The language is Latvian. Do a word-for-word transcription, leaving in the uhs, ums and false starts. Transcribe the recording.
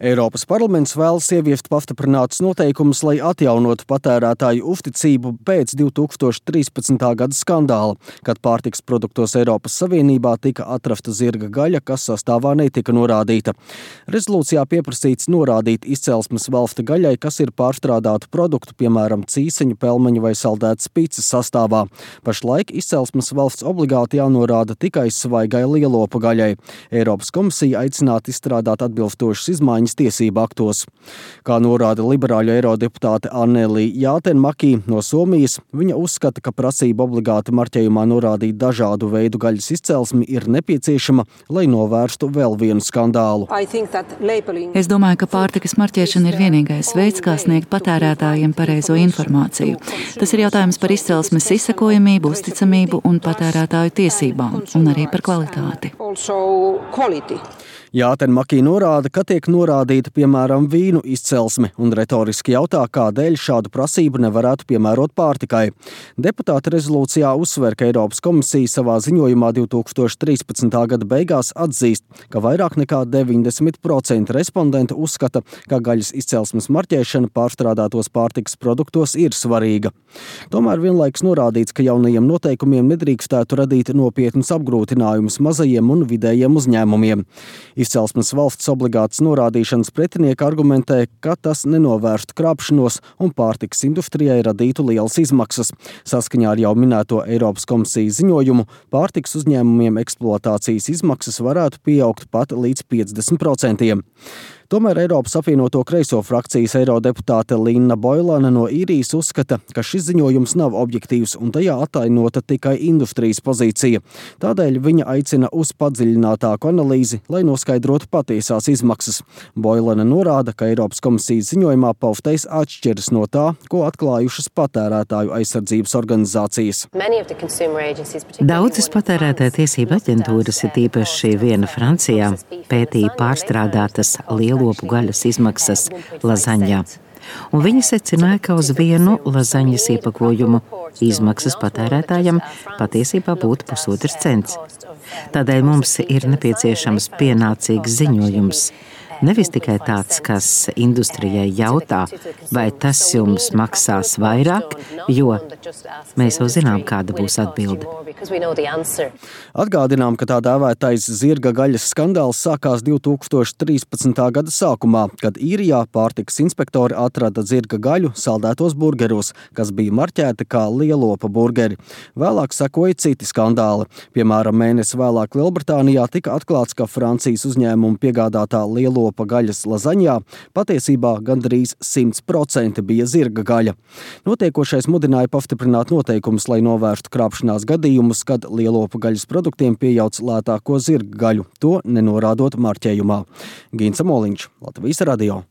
Eiropas parlaments vēlas ieviest pastiprinātus noteikumus, lai atjaunotu patērētāju uzticību pēc divi tūkstoši trīspadsmitā gada skandāla, kad pārtikas produktos Eiropas Savienībā tika atrasta zirga gaļa, kas sastāvā netika norādīta. Rezolūcijā pieprasīts norādīt izcelsmes valsti gaļai, kas ir pārstrādātu produktu, piemēram, cīseņu, pelmeņu vai saldētas picas sastāvā. Pašlaik izcelsmes valsts obligāti jānorāda tikai svaigai lielopu gaļai. Eiropas komisija aicinātu izstrādāt atbilstošas izmaiņas tiesību aktos. Kā norāda liberāļu eirodeputāte Anneli Jātenmaki no Somijas, viņa uzskata, ka prasība obligāti marķējumā norādīt dažādu veidu gaļas izcelsmi ir nepieciešama, lai novērstu vēl vienu skandālu. Es domāju, ka pārtikas marķēšana ir vienīgais veids, kā sniegt patērētājiem pareizo informāciju. Tas ir jautājums par izcelsmes izsekojamību, uzticamību un patērētāju tiesībām, un arī par kvalitāti. Jātenmaki norāda, ka tiek norādīta, piemēram, vīnu izcelsme, un retoriski jautā, kādēļ šādu prasību nevarētu piemērot pārtikai. Deputāti rezolūcijā uzsver, ka Eiropas komisija savā ziņojumā divi tūkstoši trīspadsmitā gada beigās atzīst, ka vairāk nekā deviņdesmit procenti respondentu uzskata, ka gaļas izcelsmes marķēšana pārstrādātos pārtikas produktos ir svarīga. Tomēr vienlaikus norādīts, ka jaunajiem noteikumiem nedrīkstētu radīt nopietnus apgrūtinājumus mazajiem un vidējiem uzņēmumiem. Izcelsmes valsts obligātas norādīšanas pretinieki argumentē, ka tas nenovērstu krāpšanos un pārtikas industrijai radītu lielas izmaksas. Saskaņā ar jau minēto Eiropas komisijas ziņojumu, pārtikas uzņēmumiem eksploatācijas izmaksas varētu pieaugt pat līdz piecdesmit procentiem. Tomēr Eiropas apvienoto kreiso frakcijas eirodeputāte Linna Boilane no Īrijas uzskata, ka šis ziņojums nav objektīvs un tajā atainota tikai industrijas pozīcija. Tādēļ viņa aicina uz padziļinātāku analīzi, lai noskaidrotu patiesās izmaksas. Boilane norāda, ka Eiropas komisijas ziņojumā paustais atšķiras no tā, ko atklājušas patērētāju aizsardzības organizācijas. Daudzas patērētāju tiesību aģentūras, ir īpaši viena Francijā, pētīja pārstrādātas lielu lopu gaļas izmaksas lazaņā. Un viņi secināja, ka uz vienu lazaņas iepakojumu izmaksas patērētājam patiesībā būtu pusotrs cents. Tādēļ mums ir nepieciešams pienācīgs ziņojums. Nevis tikai tāds, kas industrijai jautā, vai tas jums maksās vairāk, jo mēs jau zinām, kāda būs atbilde. Atgādinām, ka tā dēvētais zirga gaļas skandāls sākās divi tūkstoši trīspadsmitā gada sākumā, kad Īrijā pārtikas inspektori atrada zirga gaļu saldētos burgeros, kas bija marķēti kā lielopa burgeri. Vēlāk sekoja citi skandāli. Piemēram, mēnesi vēlāk Lielbritānijā tika atklāts, ka Francijas uzņēmuma piegādātā lielopa pa gaļas lazaņā patiesībā gandrīz simt procenti bija zirga gaļa. Notiekošais mudināja pastiprināt noteikumus, lai novērstu krāpšanās gadījumus, kad lielopu gaļas produktiem pieejauc lētāko zirga gaļu, to nenorādot marķējumā. Gints Moliņš, Latvijas radio.